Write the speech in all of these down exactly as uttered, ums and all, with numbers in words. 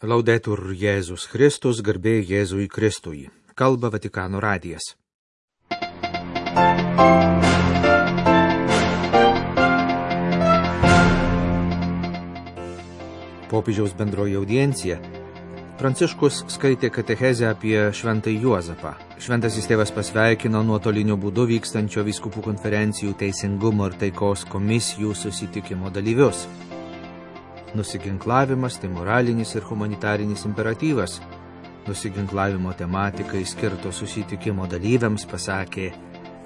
Laudetur Jėzus Kristus, garbė Jėzui Kristui. Kalba Vatikano radijas. Popiežiaus bendroji audiencija. Pranciškus skaitė katechezę apie šventąjį Juozapą. Šventasis tėvas pasveikino nuotoliniu būdu vykstančio vyskupų konferencijų teisingumo ir taikos komisijų susitikimo dalyvius. Nusiginklavimas tai moralinis ir humanitarinis imperatyvas. Nusiginklavimo tematikai skirto susitikimo dalyviams pasakė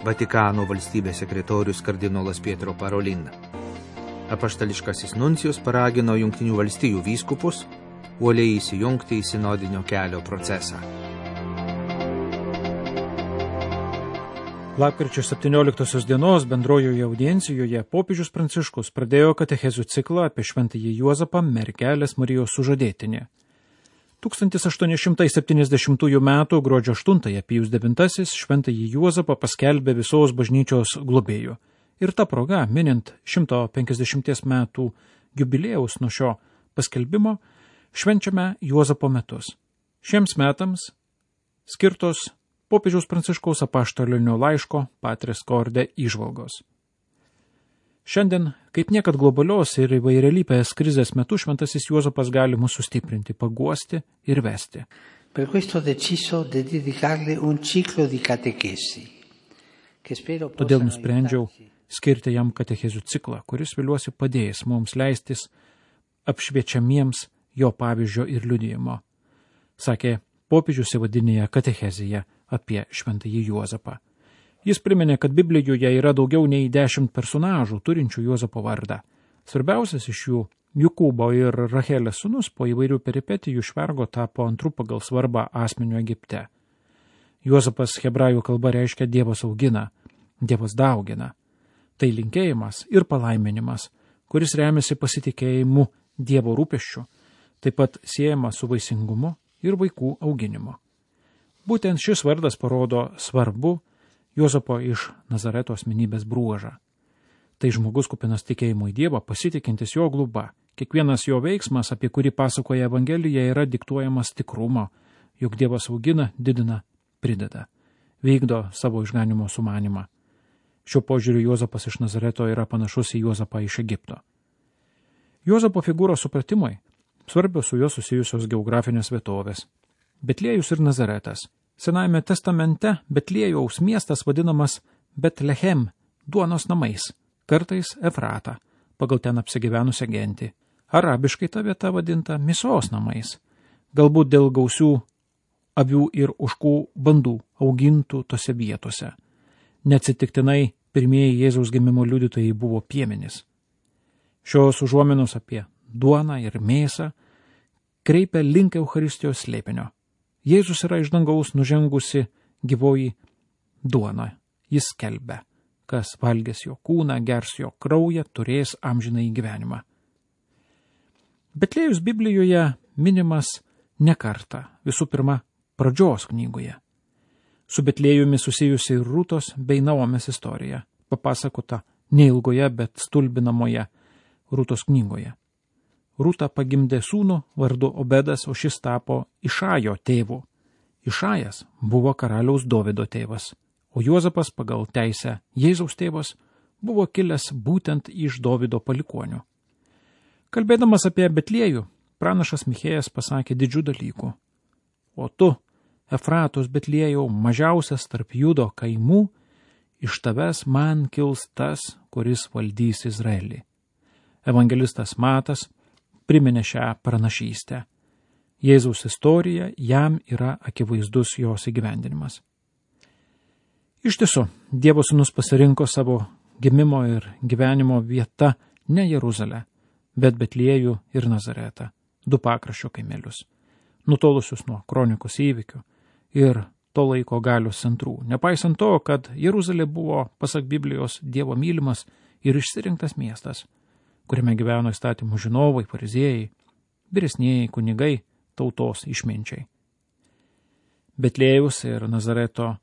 Vatikano valstybės sekretorius kardinolas Pietro Parolin. Apaštališkasis nuncijus paragino Jungtinių valstijų vyskupus uoliai įsijungti į sinodinio kelio procesą. Lapkričio septynioliktosios dienos bendrojoje audiencijoje popiežius Pranciškus pradėjo katechezių ciklą apie šventąjį Juozapą, mergelės Marijos sužadėtinį. tūkstantis aštuoni šimtai septyniasdešimtųjų metų gruodžio aštuntąją Pijus devintasis šventąjį Juozapą paskelbė visos bažnyčios globėju. Ir ta proga, minint šimto penkiasdešimties metų jubiliejaus nuo šio paskelbimo, švenčiame Juozapo metus. Šiems metams skirtos popiežiaus Pranciškaus apaštalinio laiško Patris Corde įžvalgos. Šiandien, kaip niekad globalios ir įvairialypės krizės metu, šventasis Juozapas gali mus sustiprinti, paguosti ir vesti. Per questo ho deciso di dedicarle un ciclo di catechesi. Todėl nusprendžiau skirti jam katechezių ciklą, kuris viliuosi padės mums leistis apšviečiamiems jo pavyzdžio ir liudijimo, sakė popiežius įvadinėje katechezėje apie šventąjį Juozapą. Jis priminė, kad Biblijoje yra daugiau nei dešimt personažų turinčių Juozapo vardą. Svarbiausias iš jų, Jokūbo ir Rachelės sūnus, po įvairių peripetijų švergo tapo antru pagal svarbą asmeniu Egipte. Juozapas hebrajų kalba reiškia Dievas augina, Dievas daugina. Tai linkėjimas ir palaiminimas, kuris remiasi pasitikėjimu Dievo rūpesčiu, taip pat siejama su vaisingumu ir vaikų auginimu. Būtent šis vardas parodo svarbu Juozapo iš Nazareto asmenybės bruožą. Tai žmogus kupinas tikėjimo į Dievą, pasitikintis jo gluba. Kiekvienas jo veiksmas, apie kurį pasakoja Evangelija, yra diktuojamas tikrumo, jog Dievas augina, didina, prideda, vykdo savo išganimo sumanimą. Šiuo požiūriu Juozapas iš Nazareto yra panašus į Juozapą iš Egipto. Juozapo figūros supratimui svarbios su juo susijusios geografinės vietovės. Betliejus ir Nazaretas. Senajame testamente Betliejaus miestas vadinamas Betlehem, duonos namais, kartais Efrata, pagal ten apsigyvenusią gentį. Arabiškai ta vieta vadinta Misos namais, galbūt dėl gausių avių ir ožkų bandų augintų tose vietose. Neatsitiktinai pirmieji Jėzaus gimimo liudytojai buvo piemenys. Šios užuominos apie duoną ir mėsą kreipia link Eucharistijos slėpinio. Jėzus yra iš dangaus nužengusi gyvoji duona. Jis skelbia, kas valgės jo kūną, gers jo kraują, turės amžinąjį gyvenimą. Betliejus Biblijoje minimas ne kartą, visų pirma, pradžios knygoje. Su Betliejumi susijusi ir Rūtos bei Naomės istorija, papasakota neilgoje, bet stulbinamoje Rūtos knygoje. Rūta pagimdė sūnų vardu Obedas, o šis tapo Išajo tėvu. Išajas buvo karaliaus Dovydo tėvas, o Juozapas pagal teisę Jėzaus tėvas buvo kilęs būtent iš Dovydo palikuonių. Kalbėdamas apie Betliejų, pranašas Michėjas pasakė didžių dalykų. O tu, Efratos Betliejau, mažiausias tarp Judo kaimų, iš tavęs man kils tas, kuris valdys Izraelį. Evangelistas Matas priminė šią pranašystę. Jėzaus istorija jam yra akivaizdus jos įgyvendinimas. Iš tiesų, Dievo sūnus pasirinko savo gimimo ir gyvenimo vietą ne Jeruzalę, bet Betliejų ir Nazaretą, du pakraščio kaimelius, nutolusius nuo kronikos įvykių ir to laiko galios centrų, nepaisant to, kad Jeruzalė buvo, pasak Biblijos, Dievo mylimas ir išsirinktas miestas, kuriame gyveno įstatymų žinovai, fariziejai, vyresnieji kunigai, tautos išminčiai. Betliejaus ir Nazareto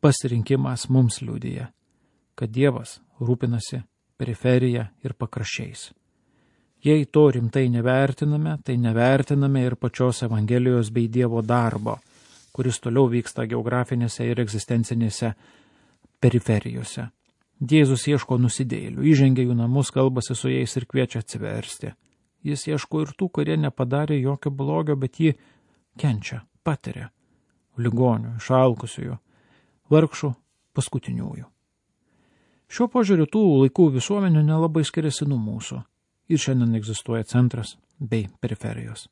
pasirinkimas mums liudija, kad Dievas rūpinasi periferija ir pakraščiais. Jei to rimtai nevertiname, tai nevertiname ir pačios Evangelijos bei Dievo darbo, kuris toliau vyksta geografinėse ir egzistencinėse periferijose. Jėzus ieško nusidėjėlių, įžengia jų namus, kalbasi su jais ir kviečia atsiversti. Jis ieško ir tų, kurie nepadarė jokio blogio, bet jį kenčia, patiria. Ligonių, išalkusiųjų, vargšų, paskutiniųjų. Šiuo požiūriu tų laikų visuomenių nelabai skiriasi nuo mūsų. Ir šiandien egzistuoja centras bei periferijos.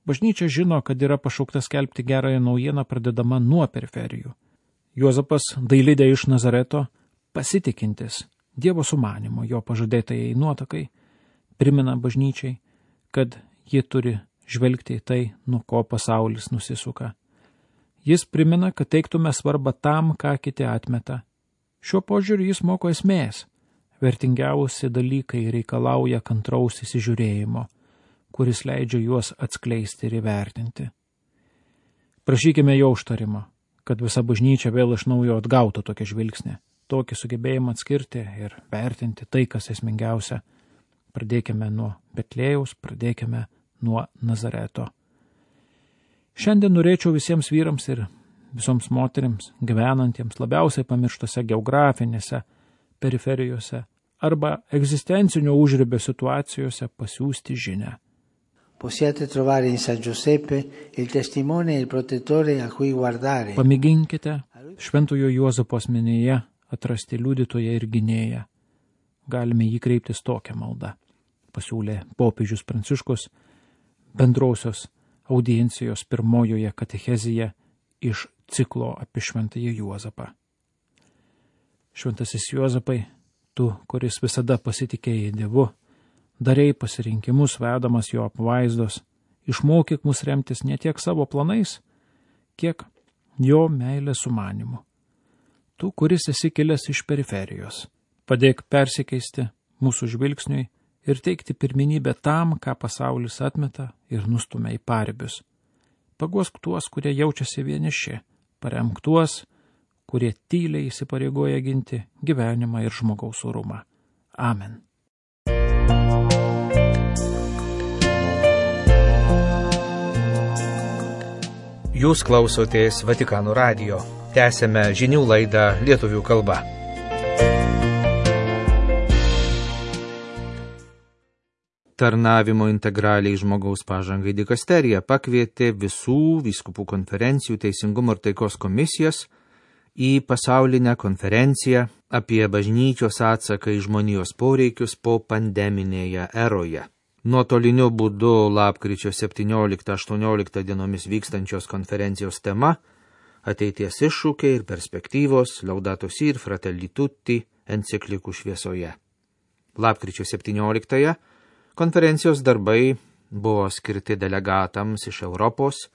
Bažnyčia žino, kad yra pašaukta skelbti gerąją naujieną pradedama nuo periferijų. Juozapas Dailidė iš Nazareto, pasitikintis Dievo sumanimo, jo pažadėtajai nuotakai, primena bažnyčiai, kad ji turi žvelgti į tai, nuo ko pasaulis nusisuka. Jis primena, kad teiktume svarbą tam, ką kiti atmeta. Šiuo požiūriu jis moko esmės. Vertingiausi dalykai reikalauja kantraus įsižiūrėjimo, kuris leidžia juos atskleisti ir įvertinti. Prašykime jo užtarimo, kad visa bažnyčia vėl iš naujo atgautų tokią žvilgsnį, tokį sugebėjimą atskirti ir vertinti tai, kas esmingiausia. Pradėkime nuo Betlėjaus, pradėkime nuo Nazareto. Šiandien norėčiau visiems vyrams ir visoms moterims, gyvenantiems labiausiai pamirštose geografinėse periferijose arba egzistencinio užribio situacijose pasiųsti žinią. Possiate trovare in San Giuseppe il testimone e il protettore a cui guardare. Pamėginkite šventojo Juozapo asmenyje atrasti liudytoją ir gynėją. Galime jį kreiptis tokią maldą, pasiūlė popiežius Pranciškus bendrausios audiencijos pirmojoje katechezėje iš ciklo apie šventąjį Juozapą. Šventasis Juozapai, tu, kuris visada pasitikėjai Dievu, darei pasirinkimus vedamas jo apvaizdos, išmokyk mus remtis ne tiek savo planais, kiek jo meilės sumanimu. Tu, kuris esi kilęs iš periferijos, padėk persikeisti mūsų žvilgsniui ir teikti pirmenybę tam, ką pasaulis atmeta ir nustumia į paribius. Paguosk tuos, kurie jaučiasi vieniši, paremk tuos, kurie tyliai įsipareigoja ginti gyvenimą ir žmogaus orumą. Amen. Jūs klausotės Vatikano radijo. Tęsėme žinių laidą lietuvių kalba. Tarnavimo integraliai žmogaus pažangai dikasterija pakvietė visų vyskupų konferencijų Teisingumo ir taikos komisijas į pasaulinę konferenciją apie bažnyčios atsaką į žmonijos poreikius po pandeminėje eroje. Nuotoliniu būdu lapkričio septynioliktą aštuonioliktą dienomis vykstančios konferencijos tema – ateities iššūkiai ir perspektyvos Laudato Si ir Fratelli Tutti enciklikų šviesoje. Lapkričio septynioliktąją konferencijos darbai buvo skirti delegatams iš Europos,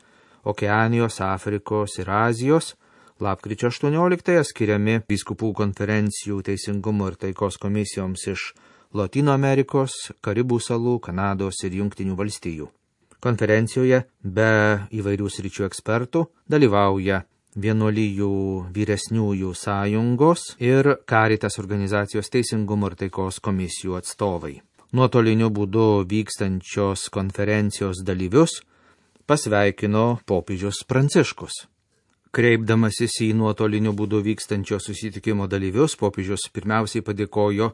Okeanijos, Afrikos ir Azijos, lapkričio aštuonioliktąją skiriami vyskupų konferencijų Teisingumo ir taikos komisijoms iš Lotynų Amerikos, Karibų salų, Kanados ir Jungtinių valstijų. Konferencijoje be įvairių sričių ekspertų dalyvauja vienuolijų vyresniųjų sąjungos ir Caritas organizacijos Teisingumo ir taikos komisijų atstovai. Nuotoliniu būdu vykstančios konferencijos dalyvius pasveikino popiežius Pranciškus. Kreipdamasis į nuotoliniu būdu vykstančio susitikimo dalyvius, popiežius pirmiausiai padėkojo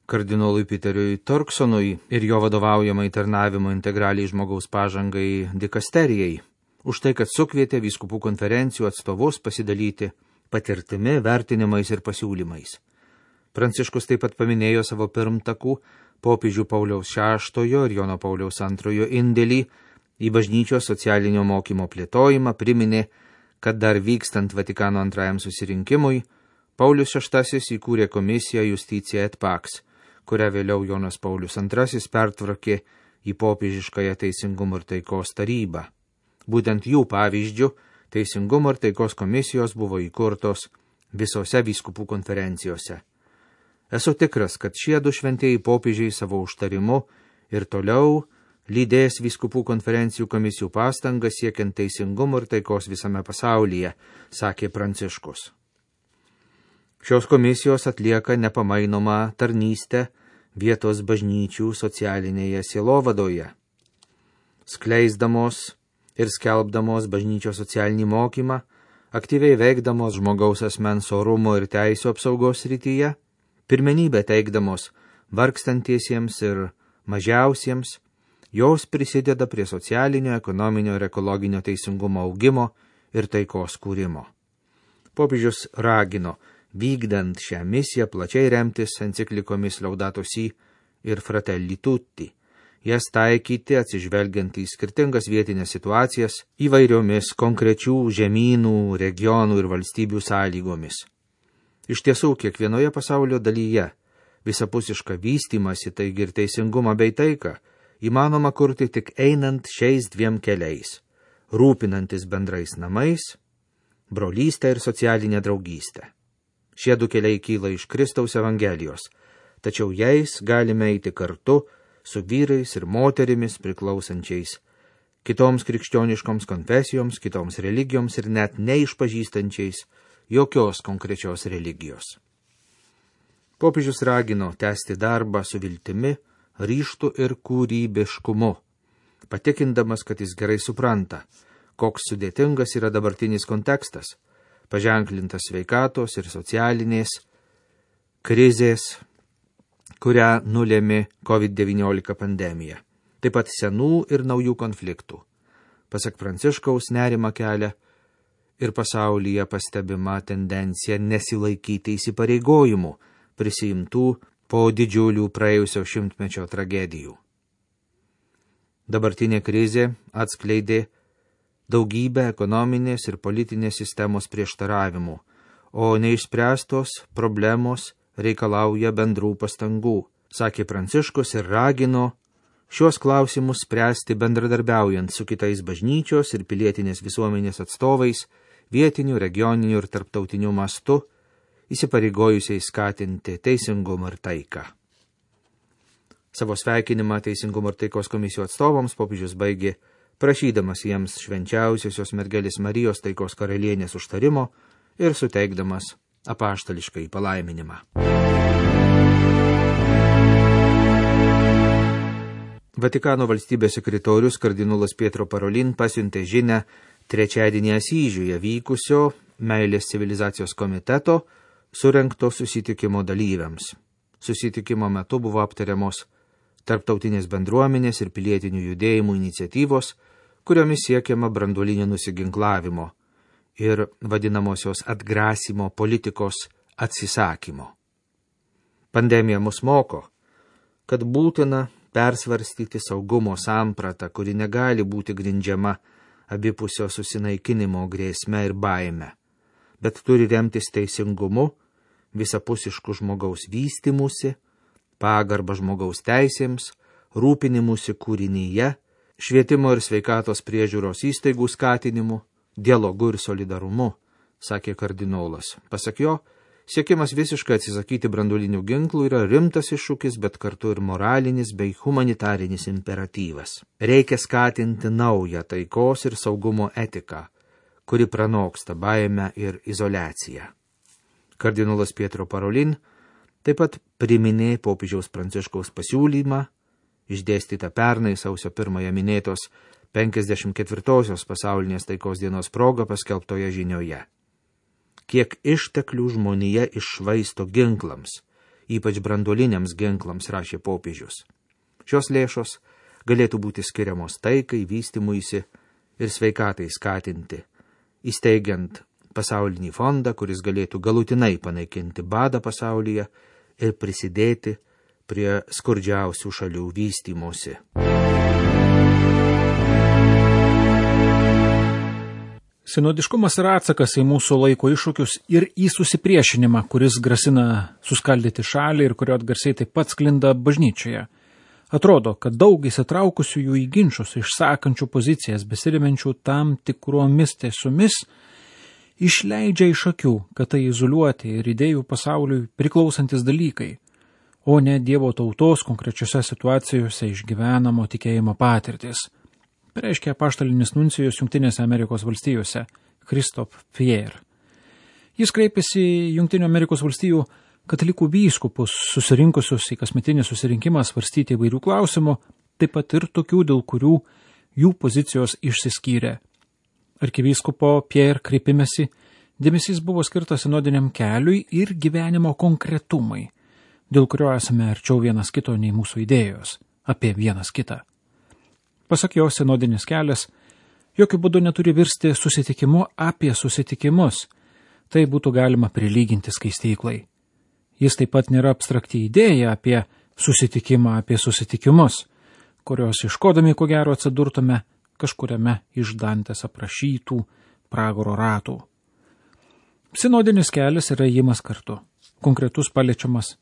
kardinolui Peteriui Turksonui ir jo vadovaujamai tarnavimo integraliai žmogaus pažangai dikasterijai už tai, kad sukvietė vyskupų konferencijų atstovus pasidalyti patirtimi, vertinimais ir pasiūlymais. Pranciškus taip pat paminėjo savo pirmtakų popiežių Pauliaus šeštojo ir Jono Pauliaus antrojo indėlį į bažnyčios socialinio mokymo plėtojimą, priminė, kad dar vykstant Vatikano antrajam susirinkimui, Paulius šeštasis įkūrė komisiją Justitia et Pax, kurią vėliau Jonas Paulius antrasis pertvarkė į popiežiškąją Teisingumo ir taikos tarybą. Būtent jų pavyzdžių Teisingumo ir taikos komisijos buvo įkurtos visose vyskupų konferencijose. Esu tikras, kad šie du šventieji popiežiai savo užtarimu ir toliau lydės vyskupų konferencijų komisijų pastangas siekiant teisingumo ir taikos visame pasaulyje, sakė Pranciškus. Šios komisijos atlieka nepamainomą tarnystę vietos bažnyčių socialinėje sielovadoje, skleisdamos ir skelbdamos bažnyčios socialinį mokymą, aktyviai veikdamos žmogaus asmens orumo ir teisų apsaugos srityje, pirmenybę teikdamos vargstantiesiems ir mažiausiems, jos prisideda prie socialinio, ekonominio ir ekologinio teisingumo augimo ir taikos kūrimo. Popiežius ragino, vykdant šią misiją, plačiai remtis enciklikomis Laudato Si ir Fratelli Tutti, jas taikyti atsižvelgiant į skirtingas vietinės situacijas įvairiomis konkrečių žemynų, regionų ir valstybių sąlygomis. Iš tiesų, kiekvienoje pasaulio dalyje visapusišką vystymąsi, taigi ir teisingumą bei taiką, įmanoma kurti tik einant šiais dviem keliais, rūpinantis bendrais namais, brolystę ir socialinę draugystę. Šie du keliai kyla iš Kristaus Evangelijos, tačiau jais galime eiti kartu su vyrais ir moterimis priklausančiais kitoms krikščioniškoms konfesijoms, kitoms religijoms ir net neišpažįstančiais jokios konkrečios religijos. Popiežius ragino tęsti darbą su viltimi, ryžtu ir kūrybiškumu, patikindamas, kad jis gerai supranta, koks sudėtingas yra dabartinis kontekstas, paženklintas sveikatos ir socialinės krizės, kurią nulėmė COVID devyniolika pandemija, taip pat senų ir naujų konfliktų. Pasak Pranciškaus, nerimą kelia ir pasaulyje pastebima tendencija nesilaikyti įsipareigojimų, prisiimtų po didžiulių praėjusio šimtmečio tragedijų. Dabartinė krizė atskleidė daugybę ekonominės ir politinės sistemos prieštaravimų, o neišspręstos problemos reikalauja bendrų pastangų, sakė Pranciškus ir ragino šios klausimus spręsti bendradarbiaujant su kitais bažnyčios ir pilietinės visuomenės atstovais, vietiniu, regioniniu ir tarptautiniu mastu, įsipareigojusiai skatinti teisingumą ir taiką. Savo sveikinimą Teisingumo ir taikos komisijų atstovams popiežius baigė prašydamas jiems švenčiausiosios mergelės Marijos taikos karalienės užtarimo ir suteikdamas apaštališką palaiminimą. Vatikano valstybės sekretorius kardinolas Pietro Parolin pasiuntė žinią trečiadienį Asyžiuje vykusio Meilės civilizacijos komiteto surengto susitikimo dalyviams. Susitikimo metu buvo aptariamos tarptautinės bendruomenės ir pilietinių judėjimų iniciatyvos, kuriomis siekiama branduolinio nusiginklavimo ir vadinamosios atgrasimo politikos atsisakymo. Pandemija mus moko, kad būtina persvarstyti saugumo sampratą, kuri negali būti grindžiama abipusio susinaikinimo grėsme ir baime, bet turi remtis teisingumu, visapusišku žmogaus vystimusi, pagarba žmogaus teisėms, rūpinimusi kūrinyje, švietimo ir sveikatos priežiūros įstaigų skatinimu, dialogu ir solidarumu, sakė kardinolas. Pasak jo, siekimas visiškai atsisakyti branduolinių ginklų yra rimtas iššūkis, bet kartu ir moralinis bei humanitarinis imperatyvas. Reikia skatinti naują taikos ir saugumo etiką, kuri pranoksta baimę ir izoliaciją. Kardinolas Pietro Parolin taip pat priminė popiežiaus Pranciškaus pasiūlymą, išdėstytą pernai sausio pirmąją minėtos penkiasdešimt ketvirtosios pasaulinės taikos dienos proga paskelbtoje žinioje. Kiek išteklių žmonija iššvaisto ginklams, ypač branduoliniams ginklams, rašė popiežius. Šios lėšos galėtų būti skiriamos taikai, vystymuisi ir sveikatai skatinti, įsteigiant pasaulinį fondą, kuris galėtų galutinai panaikinti badą pasaulyje ir prisidėti prie skurdžiausių šalių vystymosi. Sinodiškumas yra atsakas į mūsų laiko iššūkius ir į susipriešinimą, kuris grasina suskaldyti šalį ir kurio atgarsiai taip pat sklinda bažnyčioje. Atrodo, kad daug įsitraukusiųjų į ginčus, išsakančių pozicijas, besirimenčių tam tikromis tiesomis, išleidžia iš akių, kad tai izoliuoti ir idėjų pasauliui priklausantis dalykai, o ne Dievo tautos konkrečiose situacijose išgyvenamo tikėjimo patirtis. Pareiškė apaštalinis nuncijus Jungtinėse Amerikos valstijose, Christophe Pierre. Jis kreipėsi į Jungtinių Amerikos valstijų katalikų vyskupus susirinkusius į kasmetinį susirinkimą svarstyti įvairių klausimų, taip pat ir tokių, dėl kurių jų pozicijos išsiskyrė. Arkivyskupo Pierre kreipimesi dėmesys buvo skirtas sinodiniam keliui ir gyvenimo konkretumai, dėl kurio esame arčiau vienas kito nei mūsų idėjos apie vienas kitą. Pasak jo, sinodinis kelias jokių būdų neturi virsti susitikimu apie susitikimus. Tai būtų galima prilyginti skaistyklai. Jis taip pat nėra abstrakti idėja apie susitikimą apie susitikimus, kurios iškodami ko gero atsidurtume kažkuriame iš Dantės aprašytų pragaro ratų. Sinodinis kelias yra ėjimas kartu, konkretus paliečiamas,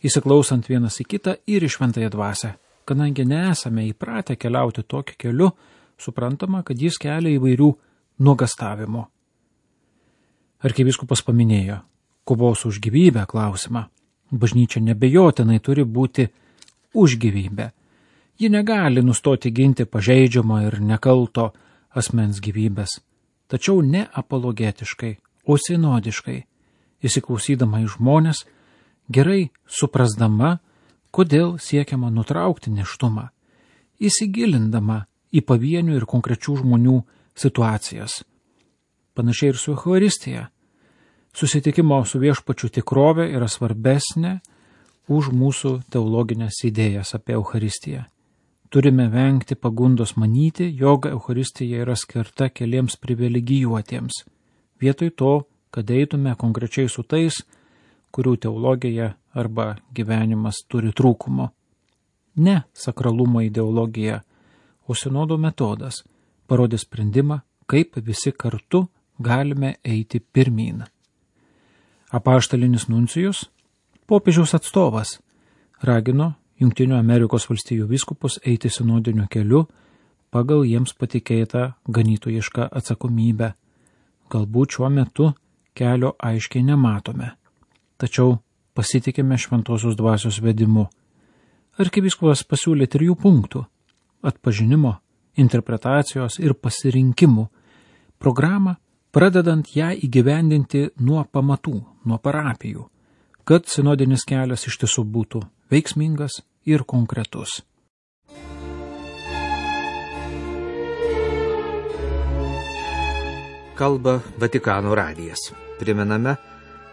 įsiklausant vienas į kitą ir į šventąją dvasią. Kadangi nesame įpratę keliauti tokiu keliu, suprantama, kad jis kelia įvairių nuogastavimų. Arkivyskupas paminėjo kovos už gyvybę klausimą. Bažnyčia nebejotinai turi būti už gyvybę. Ji negali nustoti ginti pažeidžiamo ir nekalto asmens gyvybės, tačiau ne apologetiškai, o sinodiškai, įsiklausydama į žmonės, gerai suprasdama, kodėl siekiama nutraukti nėštumą, įsigilindama į pavienių ir konkrečių žmonių situacijas. Panašiai ir su Eucharistija. Susitikimo su viešpačiu tikrovė yra svarbesnė už mūsų teologinės idėjas apie Eucharistiją. Turime vengti pagundos manyti, jog Eucharistija yra skirta keliems privilegijuotiems, vietoj to, kad eitume konkrečiai su tais, kurių teologija arba gyvenimas turi trūkumo. Ne sakralumo ideologija, o sinodo metodas parodė sprendimą, kaip visi kartu galime eiti pirmyn. Apaštalinis nuncijus, popiežiaus atstovas, ragino Jungtinių Amerikos valstijų vyskupus eiti sinodiniu keliu pagal jiems patikėtą ganytojišką atsakomybę. Galbūt šiuo metu kelio aiškiai nematome, tačiau pasitikime šventosios dvasios vedimu. Arkivyskupas pasiūlė trijų punktų – atpažinimo, interpretacijos ir pasirinkimų programą, pradedant ją įgyvendinti nuo pamatų, nuo parapijų, kad sinodinis kelias iš tiesų būtų veiksmingas ir konkretus. Kalba Vatikano radijas. Primename,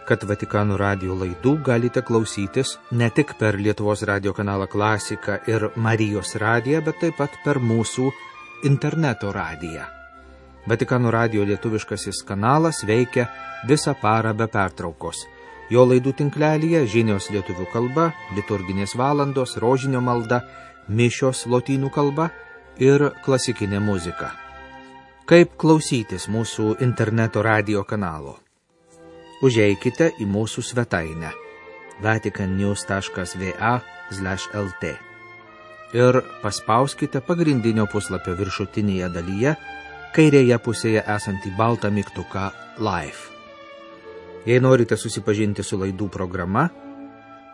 kad Vatikano radijo laidų galite klausytis ne tik per Lietuvos radijo kanalą Klasika ir Marijos radiją, bet taip pat per mūsų interneto radiją. Vatikano radijo lietuviškasis kanalas veikia visą parą be pertraukos. Jo laidų tinklelyje žinios lietuvių kalba, liturginės valandos, rožinio malda, mišios lotynų kalba ir klasikinė muzika. Kaip klausytis mūsų interneto radijo kanalo? Užeikite į mūsų svetainę vaticannews taškas va slash lt ir paspauskite pagrindinio puslapio viršutinėje dalyje kairėje pusėje esantį baltą mygtuką Live. Jei norite susipažinti su laidų programa,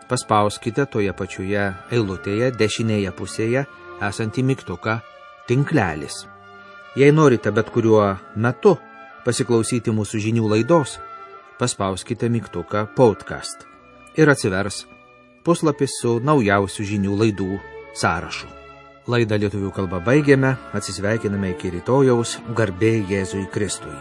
paspauskite toje pačioje eilutėje dešinėje pusėje esantį mygtuką Tinklelis. Jei norite bet kuriuo metu pasiklausyti mūsų žinių laidos, paspauskite mygtuką Podcast ir atsivers puslapis su naujausių žinių laidų sąrašu. Laidą lietuvių kalba baigėme, atsisveikiname iki rytojaus, garbė Jėzui Kristui.